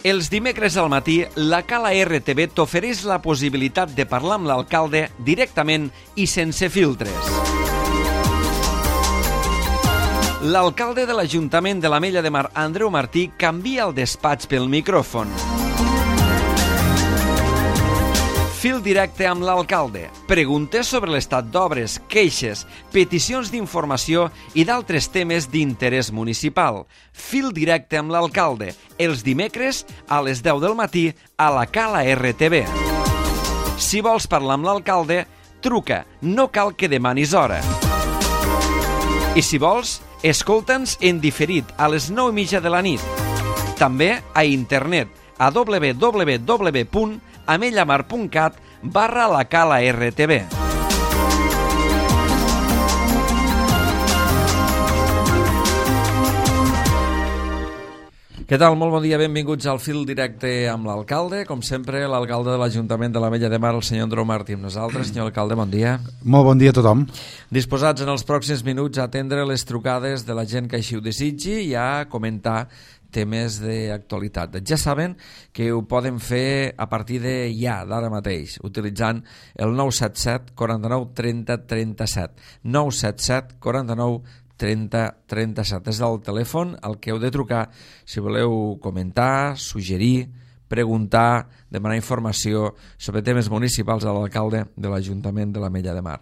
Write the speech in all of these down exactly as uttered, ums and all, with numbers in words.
Els dimecres al matí, la Cala R T V t'ofereix la possibilitat de parlar amb l'alcalde directament i sense filtres. L'alcalde de l'Ajuntament de l'Ametlla de Mar, Andreu Martí, canvia el despatx pel micròfon. Fil directe amb l'alcalde. Preguntes sobre l'estat d'obres, queixes, peticions d'informació i d'altres temes d'interès municipal. Fil directe amb l'alcalde. Els dimecres a les deu del matí a la Cala R T V. Si vols parlar amb l'alcalde, truca. No cal que demanis hora. I si vols, escolta'ns en diferit a les nou i mitja de la nit. També a internet a w w w punt amellamar punt cat barra la Cala R T V. Què tal? Molt bon dia, benvinguts al Fil Directe amb l'alcalde. Com sempre, l'alcalde de l'Ajuntament de l'Ametlla de Mar, el senyor Andreu Martí, amb nosaltres. Senyor alcalde, bon dia. Molt bon dia a tothom. Disposats en els pròxims minuts a atendre les trucades de la gent que així ho desitgi i a comentar temes d'actualitat. Ja saben que ho poden fer a partir de ja, d'ara mateix, utilitzant el nou set set quaranta-nou trenta trenta-set. nou set set quaranta-nou trenta trenta-set. És el telèfon al que heu de trucar si voleu comentar, suggerir, preguntar, demanar informació sobre temes municipals a l'alcalde de l'Ajuntament de l'Ametlla de Mar.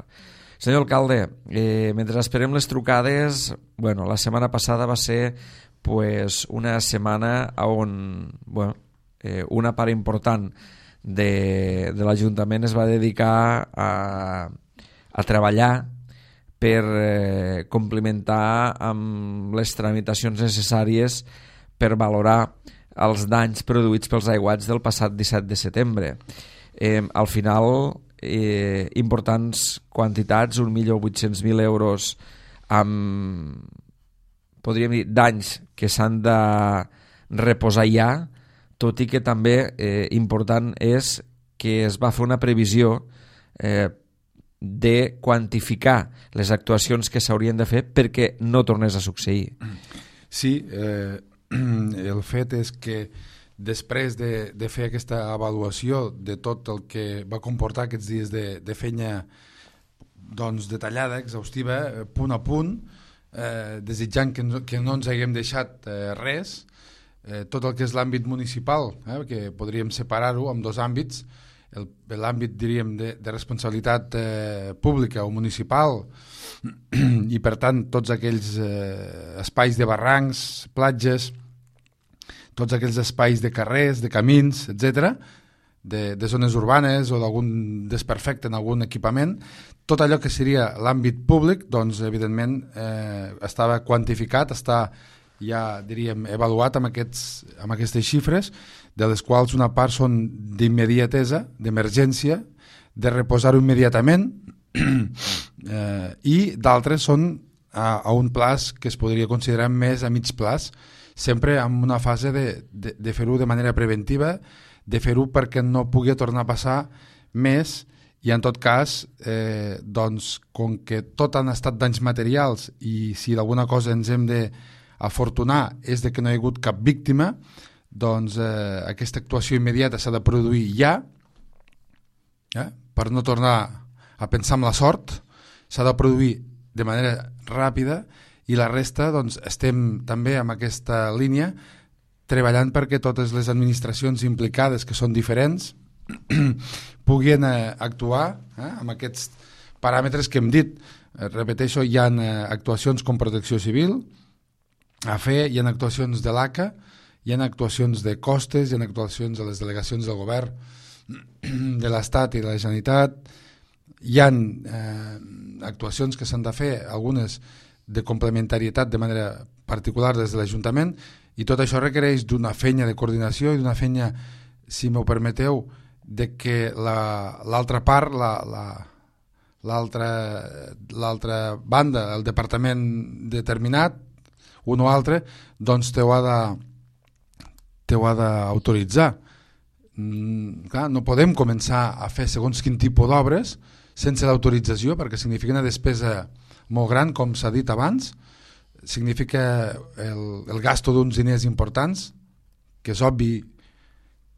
Senyor alcalde, eh, mentre esperem les trucades, bueno, la setmana passada va ser pues, una setmana on bueno, eh, una part important de, de l'Ajuntament es va dedicar a, a treballar per eh, complementar amb les tramitacions necessàries per valorar els danys produïts pels aiguats del passat disset de setembre. Eh, al final, eh, importants quantitats, un milió vuit-cents mil euros amb, podríem dir, danys que s'han de reposar ja, tot i que també eh, important és que es va fer una previsió eh, de quantificar les actuacions que s'haurien de fer perquè no tornés a succeir. Sí, eh, el fet és que després de, de fer aquesta avaluació de tot el que va comportar aquests dies de, de feina doncs, detallada, exhaustiva, punt a punt, eh, desitjant que no, que no ens haguem deixat eh, res, eh, tot el que és l'àmbit municipal, eh, que podríem separar-ho en dos àmbits, l'àmbit, diríem, de, de responsabilitat eh, pública o municipal i, per tant, tots aquells eh, espais de barrancs, platges, tots aquells espais de carrers, de camins, etcètera, de, de zones urbanes o d'algun desperfecte en algun equipament, tot allò que seria l'àmbit públic, doncs, evidentment, eh, estava quantificat, està ja, diríem, avaluat amb, aquests, amb aquestes xifres, de les quals una part són d'immediatesa, d'emergència, de reposar-ho immediatament, eh, i d'altres són a, a un plaç que es podria considerar més a mig plaç, sempre en una fase de, de, de fer-ho de manera preventiva, de fer-ho perquè no pugui tornar a passar més, i en tot cas, eh, doncs, com que tot han estat danys materials i si d'alguna cosa ens hem d'afortunar és de que no hi ha hagut cap víctima, doncs eh, aquesta actuació immediata s'ha de produir ja, eh, per no tornar a pensar en la sort, s'ha de produir de manera ràpida i la resta doncs, estem també amb aquesta línia treballant perquè totes les administracions implicades, que són diferents, puguin eh, actuar eh, amb aquests paràmetres que hem dit. Eh, repeteixo, hi ha eh, actuacions com Protecció Civil a fer, hi ha actuacions de l'A C A, hi ha actuacions de costes, hi ha actuacions de les delegacions del govern de l'Estat i de la Generalitat, hi ha eh, actuacions que s'han de fer, algunes de complementarietat de manera particular des de l'Ajuntament, i tot això requereix d'una feina de coordinació i d'una feina, si m'ho permeteu, de que l'altra la, part, la, la, l'altra l'altra banda, el departament determinat, un o altre, doncs t'ho ha de t'ho ha d'autoritzar. Mm, clar, no podem començar a fer segons quin tipus d'obres sense l'autorització, perquè significa una despesa molt gran, com s'ha dit abans, significa el, el gasto d'uns diners importants, que és obvi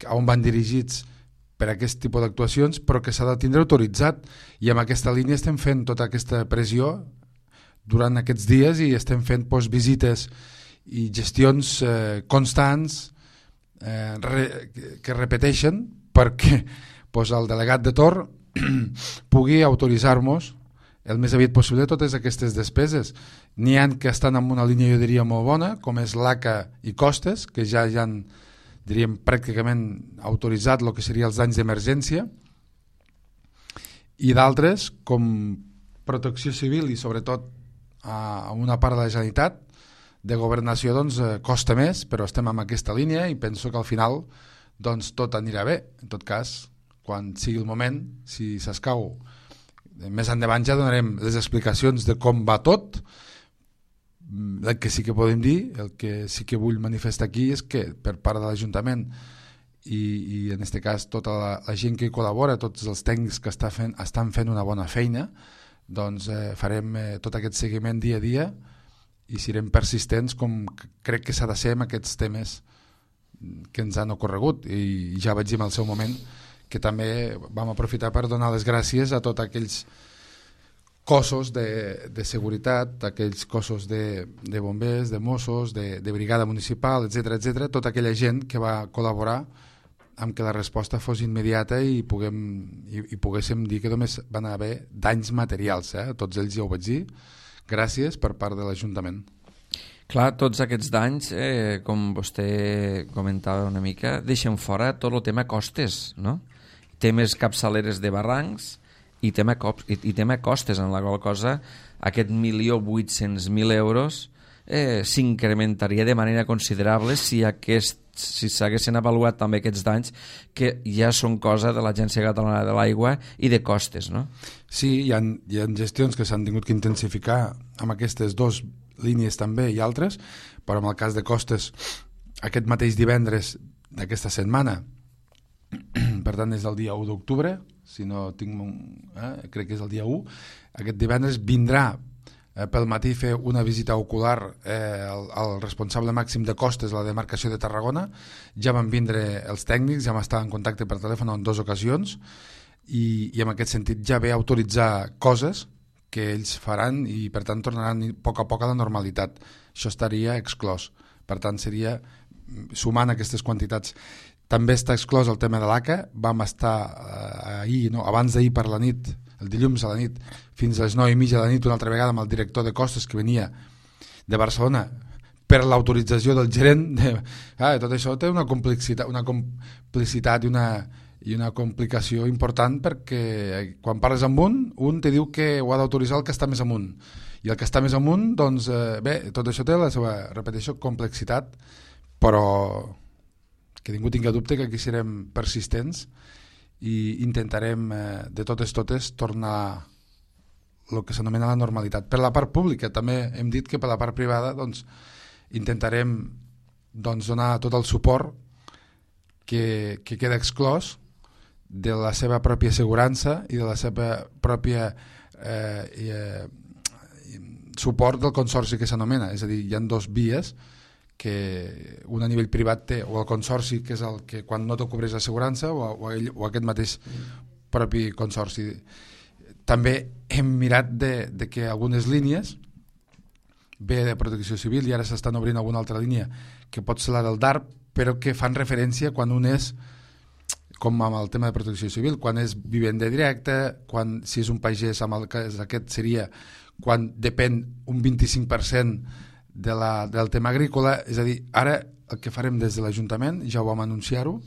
on van dirigits per a aquest tipus d'actuacions, però que s'ha de tindre autoritzat, i amb aquesta línia estem fent tota aquesta pressió durant aquests dies i estem fent doncs, visites i gestions eh, constants eh, re, que repeteixen perquè doncs, el delegat de Tor pugui autoritzar-nos el més aviat possible totes aquestes despeses. N'hi ha que estan en una línia, jo diria, molt bona, com és l'A C A i Costes, que ja ja han, diríem, pràcticament autoritzat el que serien els danys d'emergència, i d'altres, com Protecció Civil i sobretot a una part de la Generalitat, de Governació, doncs, costa més, però estem en aquesta línia i penso que al final doncs, tot anirà bé. En tot cas, quan sigui el moment, si s'escau, més endavant ja donarem les explicacions de com va tot. El que sí que podem dir, el que sí que vull manifestar aquí és que per part de l'Ajuntament i, i en aquest cas tota la, la gent que hi col·labora, tots els tècnics que està fent, estan fent una bona feina, doncs eh, farem eh, tot aquest seguiment dia a dia i serem persistents com crec que s'ha de ser amb aquests temes que ens han ocorregut, i ja vaig dir en el seu moment que també vam aprofitar per donar les gràcies a tots aquells cossos de, de seguretat, aquells cossos de, de bombers, de Mossos, de, de brigada municipal, etcètera, etcètera, tota aquella gent que va col·laborar amb que la resposta fos immediata i, puguem, i, i poguéssim dir que només van haver danys materials, eh? Tots ells ja ho vaig dir, gràcies per part de l'Ajuntament. Clar, tots aquests danys, eh, com vostè comentava una mica, deixen fora tot el tema costes, no? Temes capçaleres de barrancs i tema, cop, i, i tema costes, en la qual cosa aquest milió vuit-cents mil euros eh, s'incrementaria de manera considerable si aquest, si s'haguessin avaluat també aquests danys que ja són cosa de l'Agència Catalana de l'Aigua i de costes, no? Sí, hi ha, hi ha gestions que s'han tingut que intensificar amb aquestes dos línies també i altres, però en el cas de costes aquest mateix divendres d'aquesta setmana, per tant és el dia u d'octubre, si no tinc un, eh, crec que és el dia u, aquest divendres vindrà eh, pel matí fer una visita ocular eh, al, al responsable màxim de costes, la demarcació de Tarragona. Ja van vindre els tècnics, ja m'estava en contacte per telèfon en dues ocasions i, i en aquest sentit ja ve a autoritzar coses que ells faran i per tant tornaran a poc a poc a la normalitat. Això estaria exclòs, per tant seria sumant aquestes quantitats. També està exclòs el tema de l'A C A. Vam estar eh, ahir, no, abans d'ahir per la nit, el dilluns a la nit, fins a les nou i mitja de la nit una altra vegada amb el director de costes que venia de Barcelona per l'autorització del gerent. De... Ah, tot això té una complicitat, una complicitat i una i una complicació important perquè quan parles amb un, un te diu que ho ha d'autoritzar el que està més amunt i el que està més amunt, doncs eh, bé, tot això té la seva, repeteixo, complexitat, però que ningú tingui dubte que aquí serem persistents i intentarem eh, de totes totes tornar el que s'anomena la normalitat. Per la part pública també hem dit que per la part privada doncs, intentarem doncs, donar tot el suport que, que queda exclòs de la seva pròpia assegurança i de la seva pròpia eh, eh, suport del consorci que s'anomena. És a dir, hi ha dos vies que un a nivell privat té, o el consorci, que és el que quan no t'ho cobreix l'assegurança, o, o, ell, o aquest mateix propi consorci. També hem mirat de, de que algunes línies, bé de protecció civil, i ara s'estan obrint alguna altra línia que pot ser la del D A R P, però que fan referència quan un és, com amb el tema de protecció civil, quan és vivenda directa, quan, si és un pagès, amb el cas aquest seria quan depèn un vint-i-cinc per cent de la, del tema agrícola. És a dir, ara el que farem des de l'Ajuntament, ja ho vam anunciar-ho,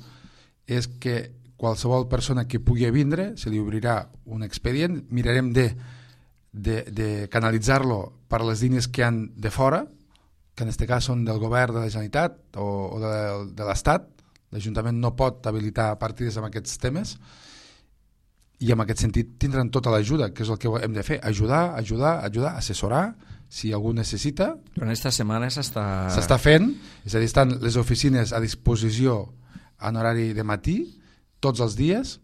és que qualsevol persona que pugui vindre se li obrirà un expedient, mirarem de, de, de canalitzar-lo per les línies que han de fora, que en aquest cas són del govern de la Generalitat o, o de, de l'Estat. L'Ajuntament no pot habilitar partides amb aquests temes i en aquest sentit tindran tota l'ajuda, que és el que hem de fer, ajudar, ajudar, ajudar, assessorar, si algú necessita. Però en aquesta setmana s'està... S'està fent, és a dir, estan les oficines a disposició en horari de matí, tots els dies,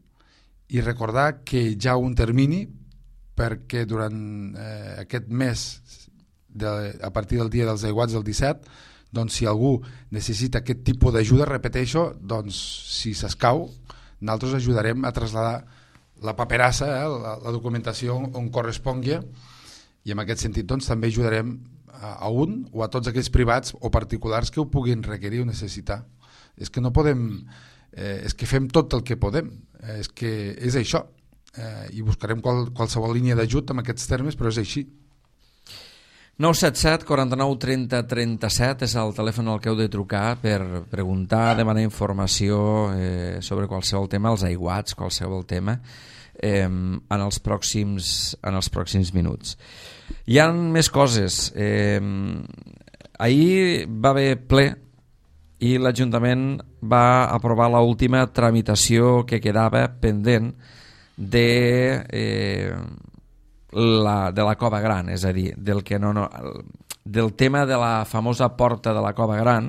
i recordar que hi ha un termini perquè durant eh, aquest mes, de, a partir del dia dels aiguats del disset, doncs si algú necessita aquest tipus d'ajuda, repeteixo, doncs si s'escau, nosaltres ajudarem a traslladar la paperassa, eh, la, la documentació on correspongui, i en aquest sentit doncs, també ajudarem a, a un o a tots aquells privats o particulars que ho puguin requerir o necessitar. És que no podem, eh, és que fem tot el que podem, eh, és que és això, eh, i buscarem qual, qualsevol línia d'ajut en aquests termes, però és així. nou set set, quaranta-nou, trenta, trenta-set és el telèfon al que heu de trucar per preguntar, demanar informació eh, sobre qualsevol tema, els aiguats, qualsevol tema, eh, en, els pròxims, en els pròxims minuts. Hi ha més coses. Eh, ahir va haver ple i l'Ajuntament va aprovar l'última tramitació que quedava pendent de... Eh, La, de la Cova Gran, és a dir, del, que no, no, del tema de la famosa porta de la Cova Gran,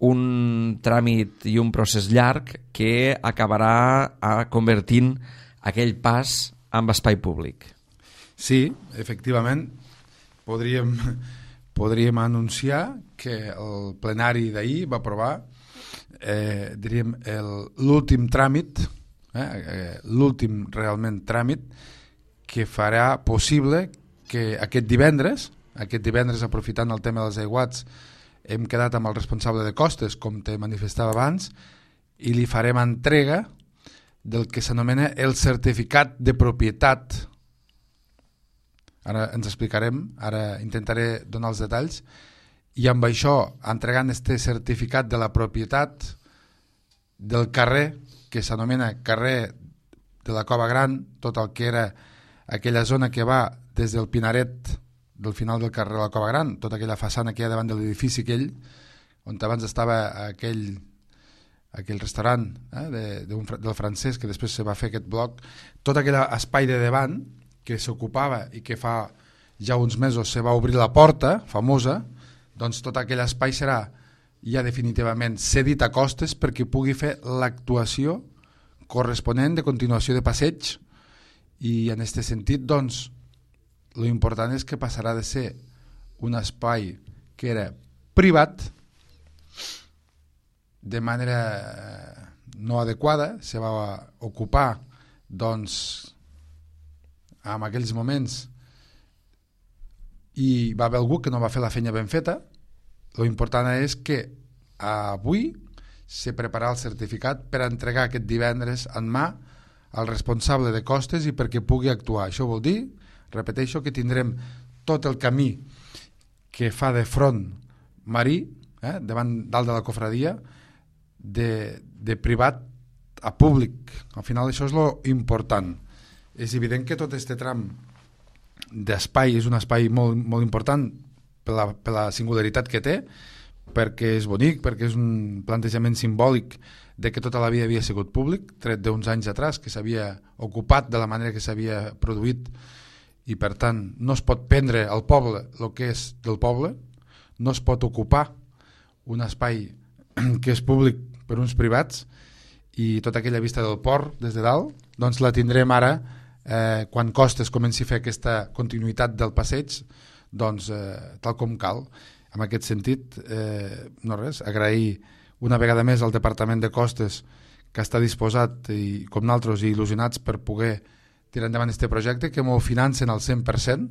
un tràmit i un procés llarg que acabarà convertint aquell pas en espai públic. Sí, efectivament, podríem, podríem anunciar que el plenari d'ahir va aprovar eh, diríem, l'últim tràmit, eh, l'últim realment tràmit, que farà possible que aquest divendres, aquest divendres aprofitant el tema dels aiguats, hem quedat amb el responsable de costes, com te manifestava abans, i li farem entrega del que s'anomena el certificat de propietat. Ara ens explicarem, ara intentaré donar els detalls, i amb això, entregant este certificat de la propietat del carrer, que s'anomena carrer de la Cova Gran, tot el que era aquella zona que va des del Pinaret del final del carrer de la Cova Gran, tota aquella façana que hi ha davant de l'edifici aquell, on abans estava aquell, aquell restaurant eh, de, de un, del francès, que després se va fer aquest bloc, tot aquell espai de davant que s'ocupava i que fa ja uns mesos se va obrir la porta famosa, doncs tot aquell espai serà ja definitivament cedit a costes perquè pugui fer l'actuació corresponent de continuació de passeig. I en aquest sentit, doncs, lo important és que passarà de ser un espai que era privat, de manera no adequada, se va ocupar, doncs, en aquells moments, i va haver algú que no va fer la feina ben feta. Lo important és que avui se prepararà el certificat per entregar aquest divendres en mà al responsable de costes i perquè pugui actuar. Això vol dir, repeteixo, que tindrem tot el camí que fa de front marí, eh, davant dalt de la cofradia, de, de privat a públic. Al final això és lo important. És evident que tot este tram d'espai és un espai molt, molt important per la, per la singularitat que té, perquè és bonic, perquè és un plantejament simbòlic de que tota la vida havia sigut públic, tret d'uns anys atrás, que s'havia ocupat de la manera que s'havia produït, i per tant no es pot prendre al poble el que és del poble, no es pot ocupar un espai que és públic per uns privats, i tota aquella vista del port des de dalt, doncs la tindrem ara eh, quan Costes comenci a fer aquesta continuïtat del passeig, doncs eh, tal com cal. En aquest sentit, eh, no res, agrair una vegada més al Departament de Costes, que està disposat, i com nosaltres, i il·lusionats per poder tirar endavant aquest projecte, que m'ho financen al cent per cent,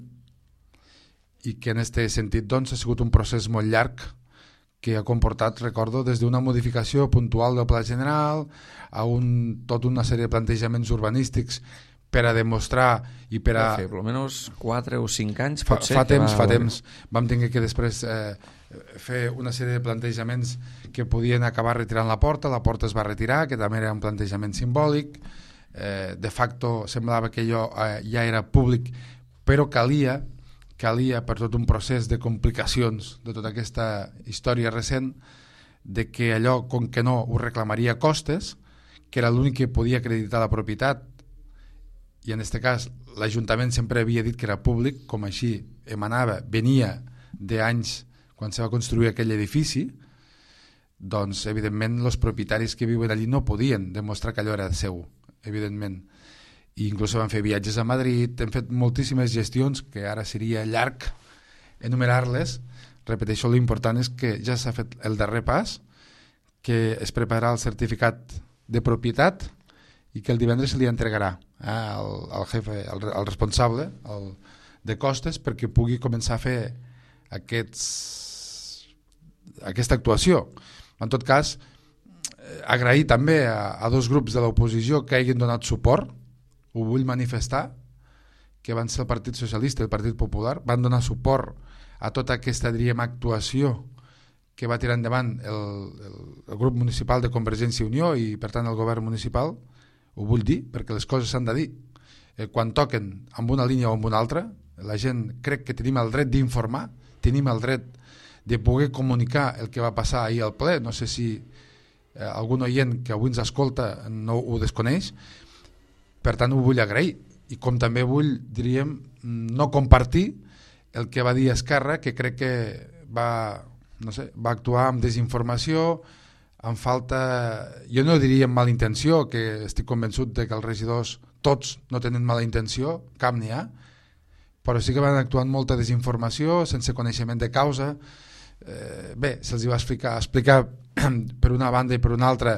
i que en aquest sentit doncs, ha sigut un procés molt llarg que ha comportat, recordo, des d'una modificació puntual del Pla General a un, tota una sèrie de plantejaments urbanístics per a demostrar i per a... Fer, per almenys quatre o cinc anys, fa, potser. Fa temps, va... fa temps. Vam tenir que després eh, fer una sèrie de plantejaments que podien acabar retirant la porta, la porta es va retirar, que també era un plantejament simbòlic, eh, de facto semblava que allò eh, ja era públic, però calia, calia per tot un procés de complicacions de tota aquesta història recent, de que allò, com que no ho reclamaria Costes, que era l'únic que podia acreditar la propietat, i en aquest cas l'Ajuntament sempre havia dit que era públic, com així emanava, venia d'anys quan se va construir aquell edifici, doncs evidentment els propietaris que viuen allí no podien demostrar que allò era seu, evidentment. I inclús van fer viatges a Madrid, hem fet moltíssimes gestions que ara seria llarg enumerar-les, repeteixo, l'important és que ja s'ha fet el darrer pas, que es prepararà el certificat de propietat i que el divendres se li entregarà eh, al, al jefe, al, al responsable al, de costes, perquè pugui començar a fer aquests, aquesta actuació. En tot cas, agrair també a, a dos grups de l'oposició que hagin donat suport, ho vull manifestar, que van ser el Partit Socialista i el Partit Popular, van donar suport a tota aquesta, diríem, actuació que va tirar endavant el, el, el grup municipal de Convergència i Unió i, per tant, el govern municipal. Ho vull dir, perquè les coses s'han de dir. Eh, quan toquen amb una línia o amb una altra, la gent crec que tenim el dret d'informar, tenim el dret de poder comunicar el que va passar ahir al ple. No sé si eh, algun oient que avui ens escolta no ho desconeix. Per tant, ho vull agrair. I com també vull, diríem, no compartir el que va dir Esquerra, que crec que va, no sé, va actuar amb desinformació, amb falta, jo no diria amb mala intenció, que estic convençut de que els regidors tots no tenen mala intenció, cap n'hi ha, però sí que van actuar amb molta desinformació, sense coneixement de causa. Eh, bé, se'ls va explicar, explicar per una banda i per una altra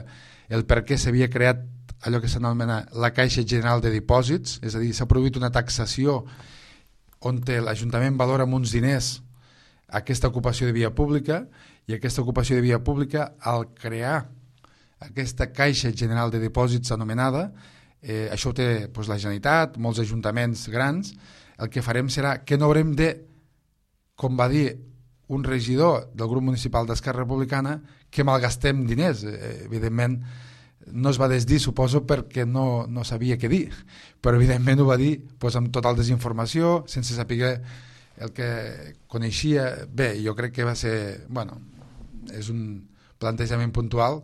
el per què s'havia creat allò que s'anomena la Caixa General de Dipòsits, és a dir, s'ha produït una taxació on l'Ajuntament valora amb uns diners aquesta ocupació de via pública, i aquesta ocupació de via pública, al crear aquesta Caixa General de Dipòsits anomenada, eh, això ho té doncs, la Generalitat, molts ajuntaments grans, el que farem serà que no haurem de, com va dir un regidor del grup municipal d'Esquerra Republicana, que malgastem diners. Eh, evidentment, no es va desdir, suposo, perquè no, no sabia què dir, però evidentment ho va dir doncs, amb total desinformació, sense saber el que coneixia. Bé, jo crec que va ser, bueno, és un plantejament puntual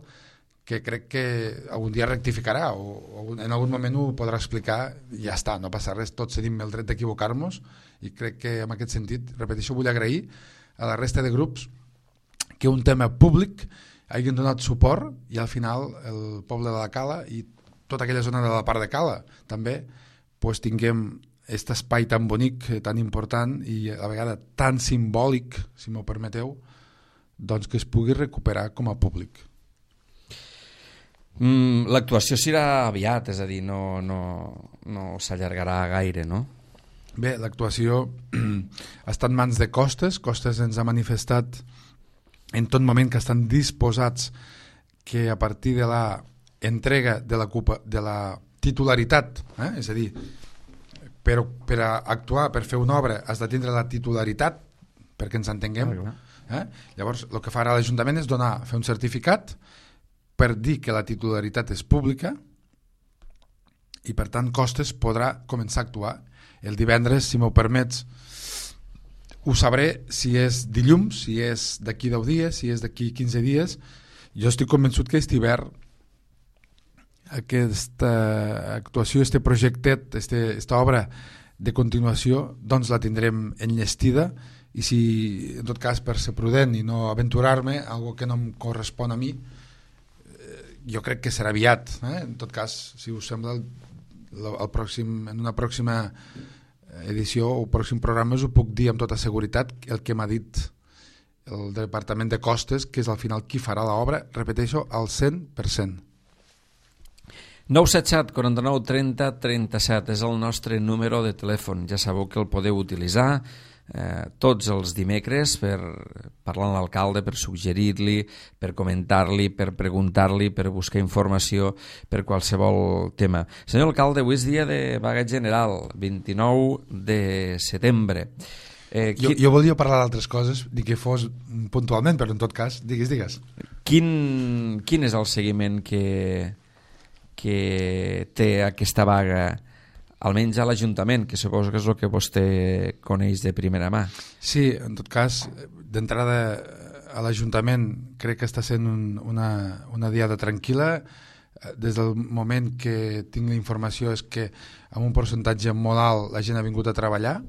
que crec que algun dia rectificarà o, o en algun moment ho podrà explicar i ja està, no passa res, tots tenim el dret d'equivocar-nos i crec que en aquest sentit, repeteixo, vull agrair a la resta de grups que un tema públic hagin donat suport i al final el poble de la Cala i tota aquella zona de la part de Cala també pues, tinguem aquest espai tan bonic, tan important i a la vegada tan simbòlic, si m'ho permeteu, doncs que es pugui recuperar com a públic. Mm, l'actuació serà aviat, és a dir, no, no, no s'allargarà gaire, no? Bé, l'actuació està en mans de Costes. Costes ens ha manifestat en tot moment que estan disposats que a partir de la entrega de la, de la titularitat, eh? És a dir, per, per actuar, per fer una obra has de tindre la titularitat perquè ens entenguem. Eh? Llavors el que farà l'Ajuntament és donar, fer un certificat per dir que la titularitat és pública i per tant Costes podrà començar a actuar. El divendres, si m'ho permets, ho sabré si és dilluns, si és d'aquí deu dies, si és d'aquí quinze dies. Jo estic convençut que aquest hivern aquesta actuació, este projectet, este, esta obra de continuació, doncs la tindrem enllestida i si, en tot cas, per ser prudent i no aventurar-me, algo que no em correspon a mi, eh, jo crec que serà aviat. Eh? En tot cas, si us sembla, el, el pròxim, en una pròxima edició o pròxim programa us ho puc dir amb tota seguretat el que m'ha dit el Departament de Costes, que és al final qui farà l'obra, repeteixo, al cent per cent. nou set set, quaranta-nou, trenta, trenta-set és el nostre número de telèfon. Ja sabeu que el podeu utilitzar eh, tots els dimecres per parlar amb l'alcalde, per suggerir-li, per comentar-li, per preguntar-li, per buscar informació per qualsevol tema. Senyor alcalde, avui és dia de vaga general, vint-i-nou de setembre. Eh, jo, qui... jo volia parlar d'altres coses, ni que fos puntualment, però en tot cas, digues, digues. Quin, quin és el seguiment que... que té aquesta vaga, almenys a l'Ajuntament, que suposo que és el que vostè coneix de primera mà? Sí, en tot cas, d'entrada a l'Ajuntament crec que està sent un, una, una diada tranquil·la. Des del moment que tinc la informació és que amb un percentatge molt alt la gent ha vingut a treballar,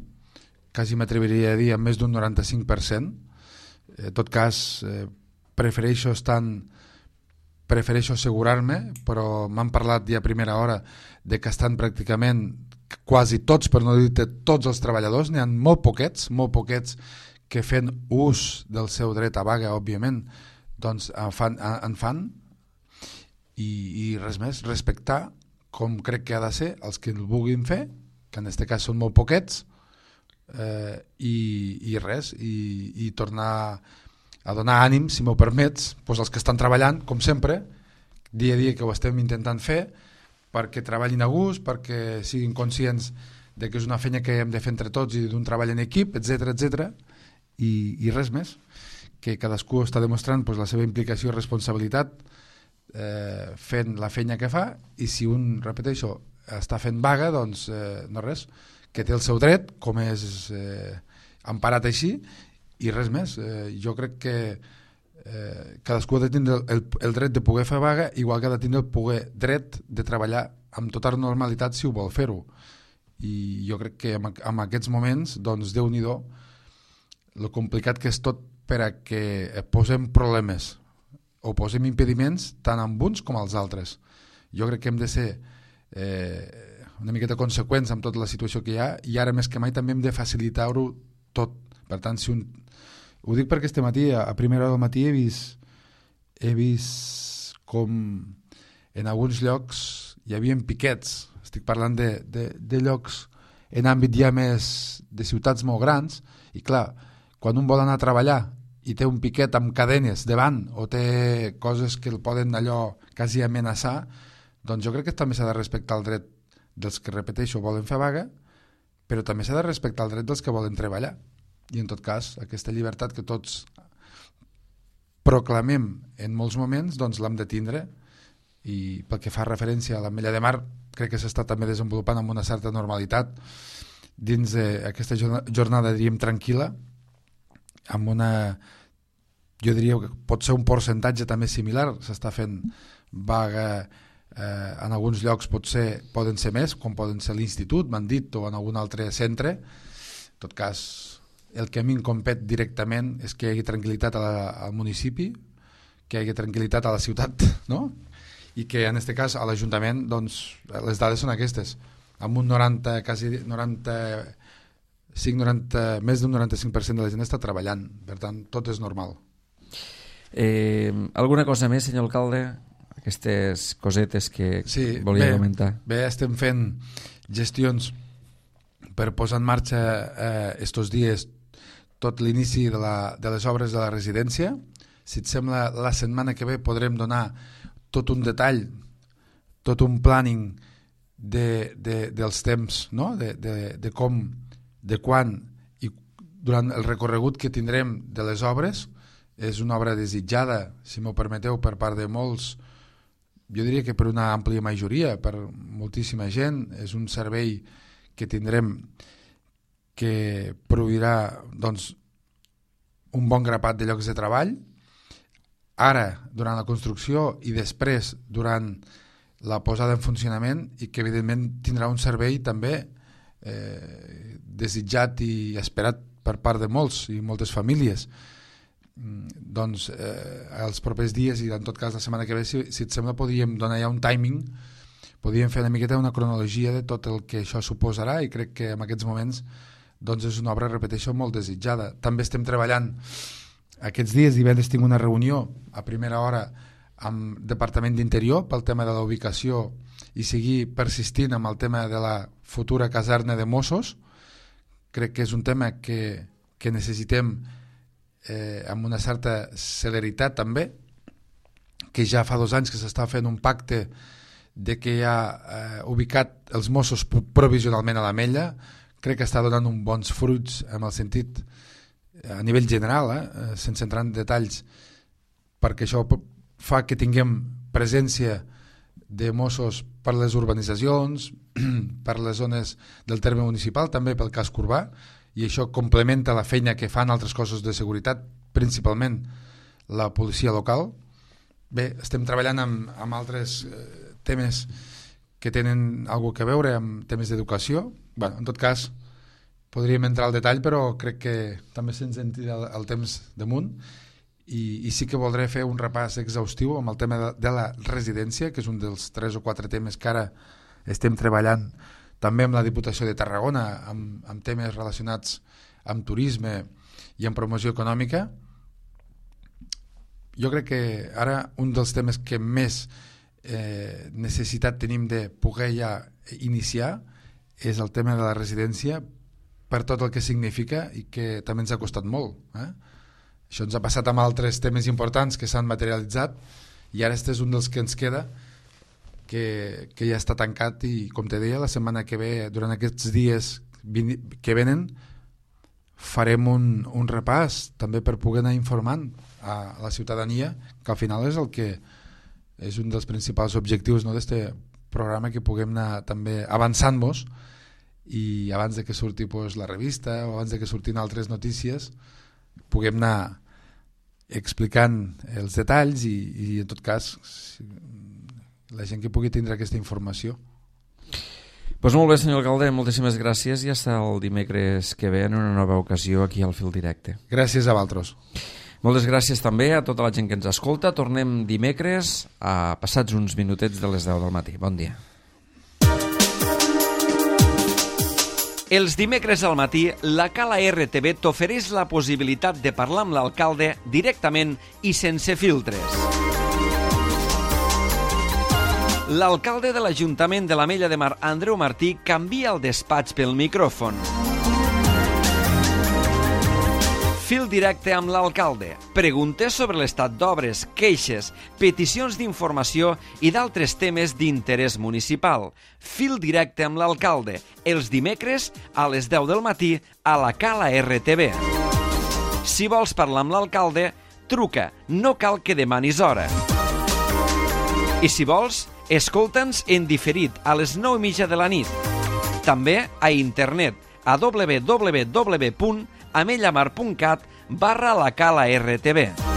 quasi m'atreviria a dir amb més d'un noranta-cinc per cent. En tot cas, eh, prefereixo estar prefereixo assegurar-me, però m'han parlat ja a primera hora de que estan pràcticament quasi tots, per no dir-te tots els treballadors, n'hi ha molt poquets, molt poquets que fent ús del seu dret a vaga, òbviament, doncs en fan, en fan i, i res més, respectar com crec que ha de ser els que el vulguin fer, que en aquest cas són molt poquets, eh, i, i res, i, i tornar a donar ànim, si m'ho permets, doncs als que estan treballant, com sempre, dia a dia que ho estem intentant fer, perquè treballin a gust, perquè siguin conscients de que és una feina que hem de fer entre tots i d'un treball en equip, etcètera, etcètera, i, i res més, que cadascú està demostrant doncs, la seva implicació i responsabilitat eh, fent la feina que fa, i si un, repeteixo, està fent vaga, doncs eh, no res, que té el seu dret, com és eh, emparat així, i res més. Eh, jo crec que eh, cadascú ha de tindre el, el dret de poder fer vaga, igual que ha de tindre el poder dret de treballar amb tota normalitat si ho vol fer-ho. I jo crec que en, en aquests moments, doncs, Déu-n'hi-do, el complicat que és tot per a que posem problemes o posem impediments tant amb uns com als altres. Jo crec que hem de ser eh, una miqueta conseqüents amb tota la situació que hi ha, i ara més que mai també hem de facilitar-ho tot. Per tant, si un... ho dic perquè este matí, a primera hora del matí, he vist, he vist com en alguns llocs hi havia piquets. Estic parlant de, de, de llocs en àmbit ja més de ciutats molt grans, i clar, quan un vol anar a treballar i té un piquet amb cadenes davant o té coses que el poden allò quasi amenaçar, doncs jo crec que també s'ha de respectar el dret dels que, repeteixo, volen fer vaga, però també s'ha de respectar el dret dels que volen treballar. I en tot cas, aquesta llibertat que tots proclamem en molts moments, doncs l'hem de tindre, i pel que fa referència a l'Ametlla de Mar, crec que s'està també desenvolupant amb una certa normalitat dins d'aquesta jornada, diríem, tranquil·la, amb una, jo diria que pot ser un percentatge també similar, s'està fent vaga eh, en alguns llocs, potser poden ser més, com poden ser l'Institut, m'han dit, o en algun altre centre. En tot cas, el que a mi em compet directament és que hi hagi tranquil·litat a la, al municipi, que hi hagi tranquil·litat a la ciutat, no? I que en aquest cas a l'Ajuntament, doncs, les dades són aquestes, amb un noranta, quasi noranta-cinc, noranta, més d'un noranta-cinc per cent de la gent està treballant, per tant, tot és normal. Eh, alguna cosa més, senyor alcalde? Aquestes cosetes que sí, volia bé, comentar. Bé, estem fent gestions per posar en marxa eh, estos dies tot l'inici de, la, de les obres de la residència. Si et sembla, la setmana que ve podrem donar tot un detall, tot un planning de, de, dels temps, no? de, de, de com, de quan i durant el recorregut que tindrem de les obres. És una obra desitjada, si m'ho permeteu, per part de molts, jo diria que per una àmplia majoria, per moltíssima gent. És un servei que tindrem que proveirà, doncs, un bon grapat de llocs de treball, ara durant la construcció i després durant la posada en funcionament, i que evidentment tindrà un servei també eh, desitjat i esperat per part de molts i moltes famílies. Doncs eh, els propers dies, i en tot cas la setmana que ve, si, si et sembla, podríem donar ja un timing, podríem fer una miqueta una cronologia de tot el que això suposarà, i crec que en aquests moments doncs és una obra, repeteixo, molt desitjada. També estem treballant aquests dies, divendres tinc una reunió a primera hora amb el Departament d'Interior pel tema de la ubicació i seguir persistint amb el tema de la futura caserna de Mossos. Crec que és un tema que, que necessitem eh, amb una certa celeritat també, que ja fa dos anys que s'està fent un pacte de que ja eh, ubicat els Mossos provisionalment a l'Ametlla. Crec que està donant uns bons fruits en el sentit a nivell general, eh, sense entrar en detalls, perquè això fa que tinguem presència de Mossos per les urbanitzacions, per les zones del terme municipal, també pel casc urbà, i això complementa la feina que fan altres cossos de seguretat, principalment la policia local. Bé, estem treballant amb, amb altres eh, temes que tenen alguna cosa a veure amb temes d'educació. Bé, en tot cas, podríem entrar al detall, però crec que també se'ns en tira el, el temps damunt, i, i sí que voldré fer un repàs exhaustiu amb el tema de, de la residència, que és un dels tres o quatre temes que ara estem treballant també amb la Diputació de Tarragona, amb, amb temes relacionats amb turisme, i en promoció econòmica. Jo crec que ara un dels temes que més eh, necessitat tenim de poder ja iniciar és el tema de la residència, per tot el que significa i que també ens ha costat molt. Eh? Això ens ha passat amb altres temes importants que s'han materialitzat i ara este és un dels que ens queda, que, que ja està tancat i, com te deia, la setmana que ve, durant aquests dies que venen, farem un, un repàs també per poder anar informant a la ciutadania, que al final és el que és un dels principals objectius, no, d'este programa, que puguem anar també avançant-nos i abans de que surti pues, la revista o abans de que surtin altres notícies puguem anar explicant els detalls i, i en tot cas la gent que pugui tindre aquesta informació. Pues molt bé, senyor alcalde, moltíssimes gràcies i fins el dimecres que ve en una nova ocasió aquí al Fil Directe. Gràcies a vosaltres. Moltes gràcies també a tota la gent que ens escolta. Tornem dimecres a passats uns minutets de les deu del matí. Bon dia. Els dimecres al matí, la Cala R T V t'ofereix la possibilitat de parlar amb l'alcalde directament i sense filtres. L'alcalde de l'Ajuntament de l'Ametlla de Mar, Andreu Martí, canvia el despatx pel micròfon. Fil directe amb l'alcalde. Preguntes sobre l'estat d'obres, queixes, peticions d'informació i d'altres temes d'interès municipal. Fil directe amb l'alcalde. Els dimecres a les deu del matí a la Cala R T V. Si vols parlar amb l'alcalde, truca. No cal que demanis hora. I si vols, escolta'ns en diferit a les nou i mitja de la nit. També a internet a w w w punt amellamar punt cat barra la Cala R T V.